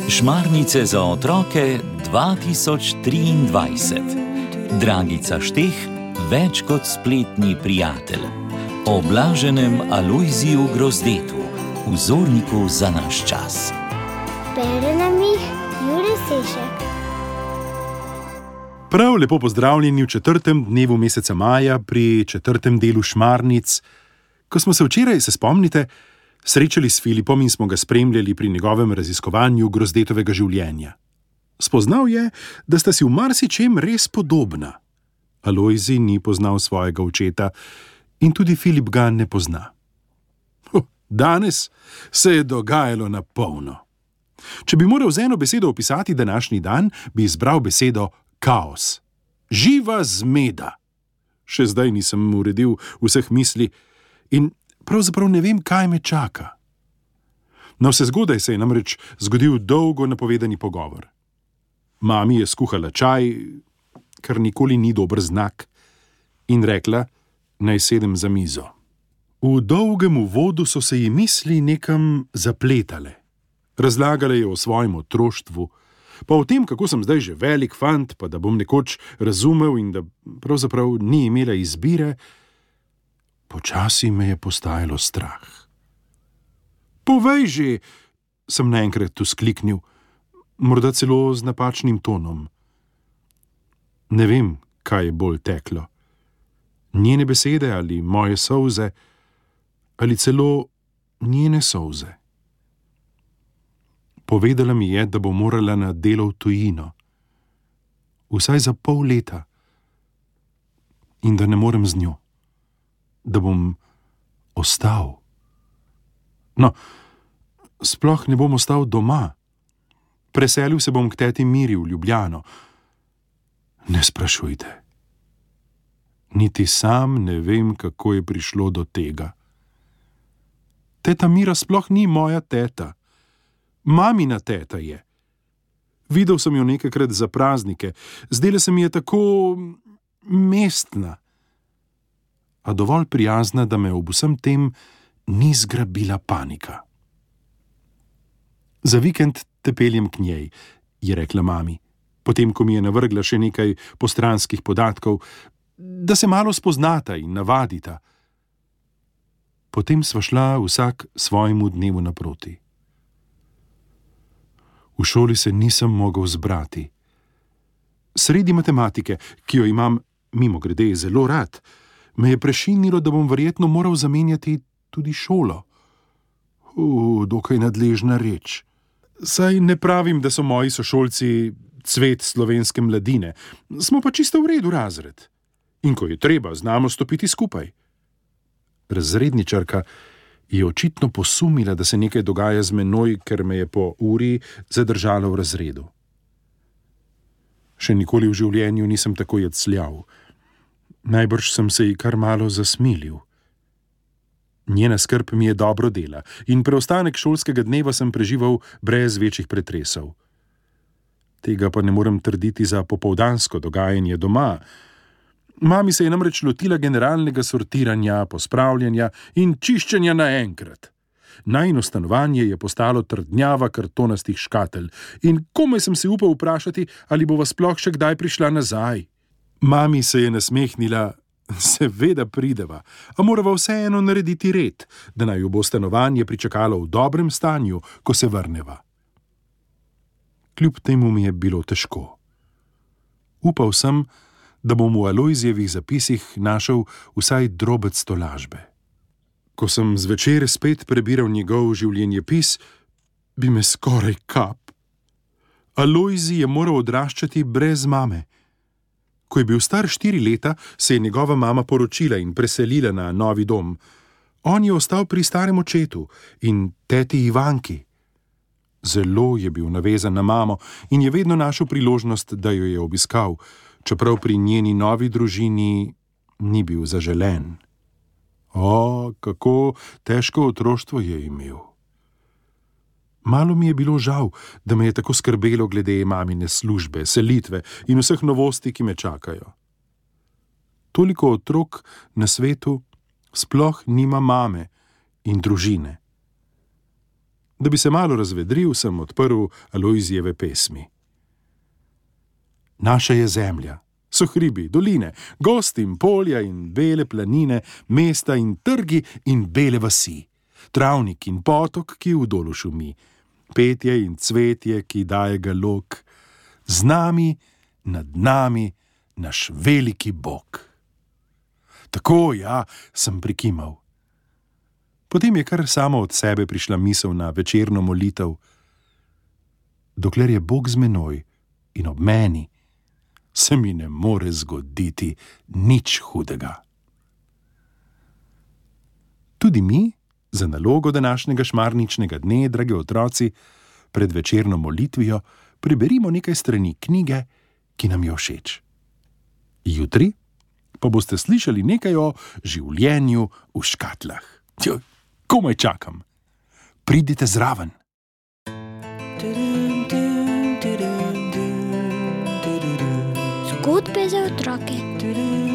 Šmarnice za otroke 2023. Dragica Šteh, več kot spletni prijatelj. O blaženem Alojziju Grozdetu, vzorniku za naš čas. Bere nam jih Jure Sešek. Prav lepo pozdravljeni v 4. dnevu meseca maja pri 4. delu Šmarnic. Ko smo se včeraj, se spomnite, srečali s Filipom in smo ga spremljali pri njegovem raziskovanju Grozdetovega življenja. Spoznal je, da sta si v marsičem res podobna. Alojzij ni poznal svojega očeta in tudi Filip ga ne pozna. Danes se je dogajalo na polno. Če bi moral z eno besedo opisati današnji dan, bi izbral besedo kaos. Živa zmeda. Še zdaj nisem uredil vseh misli in pravzaprav ne vem, kaj me čaka. Navsezgodaj se je namreč zgodil dolgo napovedani pogovor. Mami je skuhala čaj, kar nikoli ni dober znak, in rekla, naj sedem za mizo. V dolgem uvodu so se ji misli nekam zapletale. Razlagala je o svojem otroštvu, pa o tem, kako sem zdaj že velik fant, pa da bom nekoč razumel in da pravzaprav ni imela izbire. Počasi me je postajalo strah. Povej že, sem naenkrat vzkliknil, morda celo z napačnim tonom. Ne vem, kaj je bolj teklo. Njene besede ali moje solze, ali celo njene solze. Povedala mi je, da bo morala na delo v tujino. Vsaj za pol leta. In da ne morem z njo. Da bom ostal. No, sploh ne bom ostal doma. Preselil se bom k teti Miri v Ljubljano. Ne sprašujte. Niti sam ne vem, kako je prišlo do tega. Teta Mira sploh ni moja teta. Mamina teta je. Videl sem jo nekajkrat za praznike. Zdela se mi je tako mestna. A dovolj prijazna, da me ob vsem tem ni zgrabila panika. Za vikend te peljem k njej, je rekla mami, potem ko mi je navrgla še nekaj postranskih podatkov, da se malo spoznata in navadita. Potem sva šla vsak svojemu dnevu naproti. V šoli se nisem mogel zbrati. Sredi matematike, ki jo imam, mimogrede, zelo rad, me je prešinilo, da bom verjetno moral zamenjati tudi šolo. Dokaj nadležna reč. Saj ne pravim, da so moji sošolci cvet slovenske mladine. Smo pa čisto v redu razred. In ko je treba, znamo stopiti skupaj. Razredničarka je očitno posumila, da se nekaj dogaja z menoj, ker me je po uri zadržala v razredu. Še nikoli v življenju nisem tako jecljal. Najbrž sem se ji kar malo zasmilil. Njena skrb mi je dobro dela in preostanek šolskega dneva sem preživel brez večjih pretresov. Tega pa ne morem trditi za popoldansko dogajanje doma. Mami se je namreč lotila generalnega sortiranja, pospravljanja in čiščenja naenkrat. Najino stanovanje je postalo trdnjava kartonastih škatelj in komaj sem se upal vprašati, ali bova sploh še kdaj prišla nazaj. Mami se je nasmehnila, seveda prideva, a morava vseeno narediti red, da naj jo bo stanovanje pričakalo v dobrem stanju, ko se vrneva. Kljub temu mi je bilo težko. Upal sem, da bom v Alojzijevih zapisih našel vsaj drobec tolažbe. Ko sem zvečer spet prebiral njegov življenjepis, bi me skoraj kap. Alojzij je moral odraščati brez mame. Ko je bil star 4 leta, se je njegova mama poročila in preselila na novi dom. On je ostal pri starem očetu in teti Ivanki. Zelo je bil navezan na mamo in je vedno našel priložnost, da jo je obiskal, čeprav pri njeni novi družini ni bil zaželen. Kako težko otroštvo je imel. Malo mi je bilo žal, da me je tako skrbelo glede mamine službe, selitve in vseh novosti, ki me čakajo. Toliko otrok na svetu sploh nima mame in družine. Da bi se malo razvedril, sem odprl Alojzijeve pesmi. Naša je zemlja, so hribi, doline, gozd in polja in bele planine, mesta in trgi in bele vasi, travnik in potok, ki v dolu šumi, petje in cvetje, ki daje ga lok, z nami, nad nami, naš veliki Bog. Tako, ja, sem prikimal. Potem je kar samo od sebe prišla misel na večerno molitev. Dokler je Bog z menoj in ob meni, se mi ne more zgoditi nič hudega. Tudi mi, za nalogo današnjega šmarničnega dne, dragi otroci, pred večerno molitvijo preberimo nekaj strani knjige, ki nam je všeč. Jutri pa boste slišali nekaj o življenju v škatlah. Komaj čakam. Pridite zraven. Zgodbe za otroke.